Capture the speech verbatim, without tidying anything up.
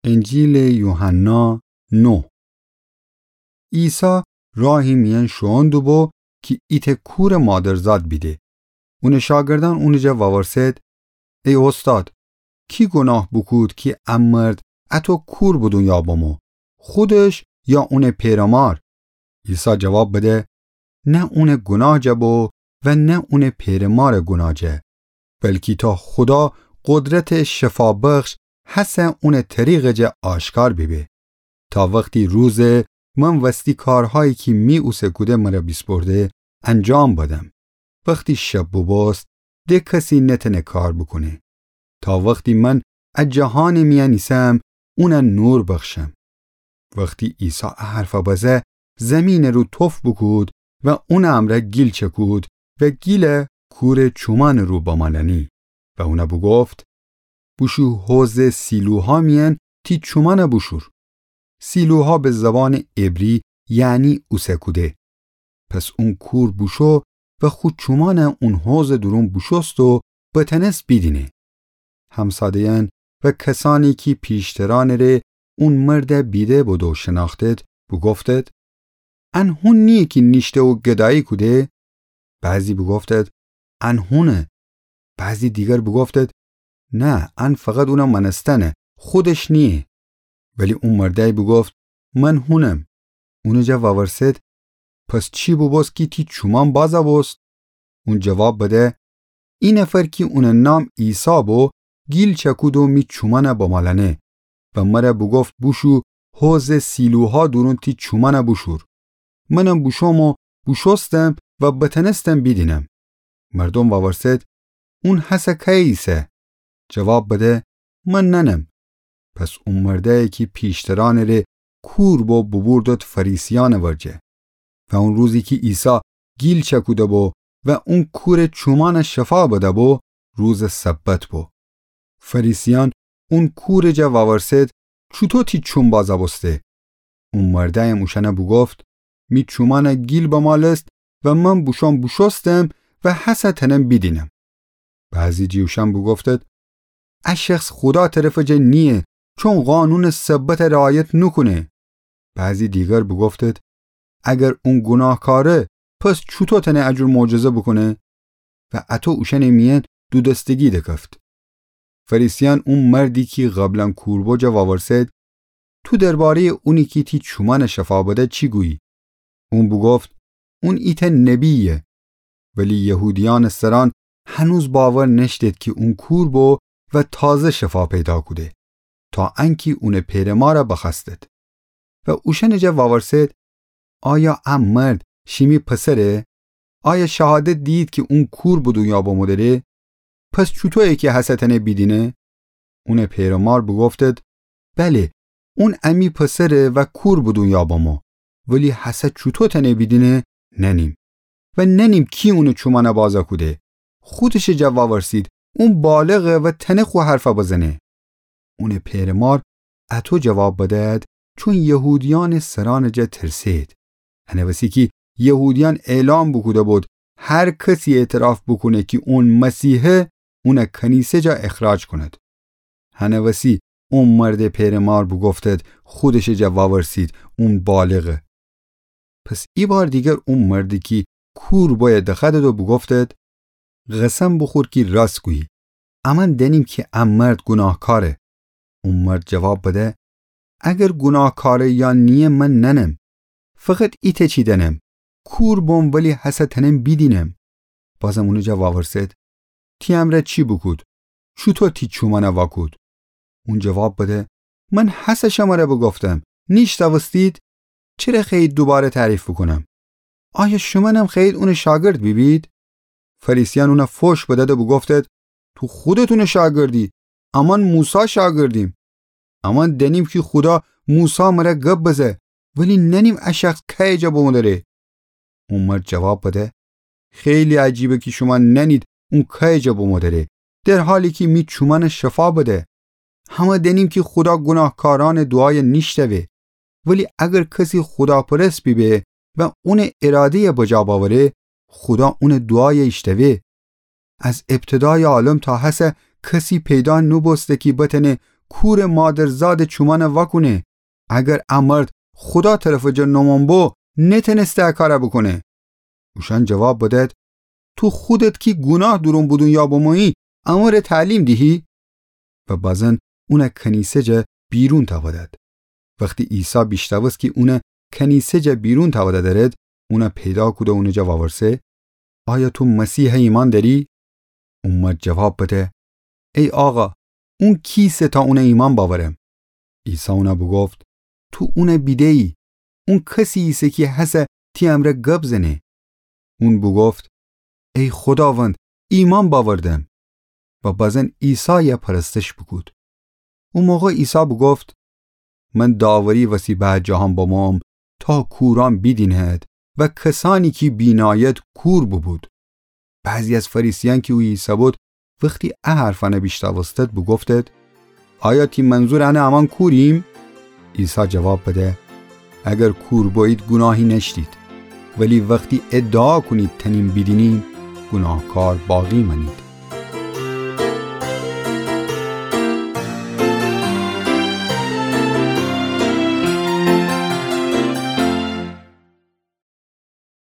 انجیلٚ یوحنا، نو. عیسی راهی میأن شوئون دوبو کی ایتأ کورٚ مادرزاد بیده. اونٚ شاگردأن اونٚ جا وورسد: ای اوستاد، کی گوناه بوکود کی ا مرد اطو کور به دونیا بمو، خودش یا اونٚ پئرمار؟ عیسی جواب بده: نه اونٚ گوناه جا بو و نه اونٚ پئرمارٚ گوناه جا، بلکی تا خودا قدرتٚ شفابخش هسه اونٚ طریقٚ جا آشکار بیبه، تا وختی روزٚ من وستی کارهایی کی می اوسه کوده مر بیسپرده انجام بدم. وختی شب بوبوست، د کسی نتأنه کار بوکونه، تا وختی من ا جهانٚ میأن ایسم اون نور بخشم. وختی عیسی ا حرف بزه، زیمینٚ رو تف بوکود و اونٚ امرأ گیل چکود و گیل کورٚ چومأنٚ رو بمالأنی و اون بوگفت: بوشو حوضٚ سیلوها میأن تی چومأن بوشور. سیلوها به زبانٚ عبری یعنی اوسه کوده. پس اون کور بوشو و خو چومأن اون حوضٚ دورون بوشوست و بتأنست بیدینه. همساده‌یأن و کسأنی کی پیشترأنٚ ره اون مرد بیده بودو شنأختد، بوگفتد: ان هون نییه کی نیشته و گدایی کوده؟ بعضی بوگفتد: ان هونه. بعضی دیگر بوگفتد: نه، ان فقط اون مأنستنه، خودش نییه. ولی اون مردأی بوگفت: من هونم. اونٚ جا وورسد: پس چی بوبوست کی تی چومأن بازَ بوست؟ اون جواب بده: ای نفر کی اونٚ نام عیسی بو، گیل چکود و می چومأن بمالأنه و مر بوگفت: بوشو حوضٚ سیلوها دورون تی چومأن بوشور. منم بوشوم و بوشوستم و بتأنستم بیدینم. مردوم وورسد: اون هسه کیه ایسه؟ جواب بده: من نأنم. پس اون مردأی کی پیشترأنٚ ره کور بو بوبوردد فریسیأنٚ ورجه. و اون روزی کی عیسی گیل چکوده بو و اون کورٚ چومأن شفا بده بو، روزٚ سبت بو. فریسیأن اون کورٚ جا وورسد: چوطو تی چوم بازَ بوسته؟ اون مردأیم اوشأن بوگفت: می چومأن گیل بمالست و من بوشوم بوشوستم و هسه تأنم بیدینم. بعضی جٚه اوشأن بوگفتد: ا شخص خودا طرفٚ جا نییه، چون قانونٚ سبت رعایت نوکونه. بعضی دیگر بوگفتد: اگر اون گوناهکاره، پس چوطو تأنه ا جور معجزه بوکونه؟ و اطو اوشأنٚ میأن دودستگی دکفت. فریسیأن اون مردی کی قبلا کور بو جا وورسد: تو درباره‌یٚ اونی کی تی چومأن شفا بده چی گویی؟ اون بوگفت: اون ایتأ نبییه. ولی یهودیأنٚ سرأن هنوز باور نأشتد کی اون کور بو و تازه شفا پیدا کوده، تا انکی اونٚ پئرمار بخوأستد. و اوشأنٚ جا وورسد: آیا ا مرد شیمی پسره؟ آیا شهادت دیید کی اون کور به دونیا بمودره؟ پس چوطویه کی هسه تأنه بیدینه؟ اونٚ پئرمار بوگفتد: بله، اون امی پسره و کور به دونیا بمو، ولی هسه چوطو تأنه بیدینه نأنیم و نأنیم کی اونٚ چومأن بازَ کوده. خودشٚ جا وورسید، اون بالغه و تأنه خو حرف بزنه. اونٚ پئرمار اطو جواب بدأد، چون یهودیأنٚ سرأنٚ جا ترسید. انه وسی کی یهودیأن اعلام بوکوده بود: هر کسی اعتراف بوکونه کی اون مسیحه، اون کنیسه جا اخراج کونید. هنه وسی اون مردٚ پئرمار بوگفتد، خودشٚ جا وورسید، اون بالغه. پس ایبار دیگر اون مردی کی کور بویه دخوأدد و بوگفتد: قسم بوخور کی راست گویی. امأن دأنیم کی ا مرد گوناهکاره. اون مرد جواب بده: اگر گوناهکاره یا نییه من نأنم. فقط ایتأ چی دأنم: کور بوم ولی هسه تأنم بیدینم. بازم اونٚ جا وورسد: تی امرأ چی بوکود؟ چوطو تی چومأن واکود؟ اون جواب بده: من هسه شمر بوگفتم، نیشنوستید؟ چره خوأیید دوباره تعریف بوکونم؟ آیا شومأنم خوأیید اونٚ شاگرد بیبید؟ فریسیأن اون فوش بدأد و بوگفتد: تو خودت اونٚ شاگردی، امأن موسی شاگردیم. امأن دأنیم کی خودا موسی مر گب بزه، ولی نأنیم ا شخص کیه جا بمودره. اون مرد جواب بده: خیلی عجیبه کی شومأن نأنید اون کیه جا بمودره، در حالی کی می چومأن شفا بده. همه دأنیم کی خودا گوناهکارأنٚ دوعای نیشتوه، ولی اگر کسی خوداپرست بیبه و اونٚ اراده‌ی بجا بأوره، خودا اونٚ دوعای ایشتوه. از ابتدایٚ عالم تا هسه کسی پیدا نوبوسته کی بتأنه کورٚ مادرزادٚ چومأنَ وأکونه. اگر ا مرد خودا طرفٚ جا نومأن بو، نتأنسته ا کارَ بوکونه. اوشأن جواب بدأد: تو خودت کی گوناه دورون به دونیا بمویی، امره تعلیم دیهی؟ و بأزن اونَ کنیسه جا بیرون تأودأد. وختی عیسی بیشنوست کی اونَ کنیسه جا بیرون تأودأ دأرد، اونَ پیدا کود و اونٚ جا وأورسه: آیا تو مسیحَ ایمأن دأری؟ او مرد جواب بده: ای آقا، اون کیسه تا اونَ ایمأن بأورم؟ عیسی اونَ بوگفت: تو اونَ بیده‌یی. اون کسی ایسه کی هسه تی امرأ گب زنه. اون بوگفت: ای خوداوند، ایمأن بأوردم. و بأزن عیسایَ پرستش بوکود. او موقع عیسی بوگفت: من داوری وسی به ا جهان بموم تا کورأن بیدینید و کسأنی کی بینایید کور بوبود. بعضی از فریسیأن کی اویه ایسه‌بود، وختی ا حرفأنَ بیشنوستد، بوگفتد: آیا تی منظور انه امأن کوریم؟ عیسی جواب بده: اگر کور بویید، گوناهی نأشتید، ولی وختی ادعا کونید تأنیم بیدینیم، گوناهکار باقی مأنید.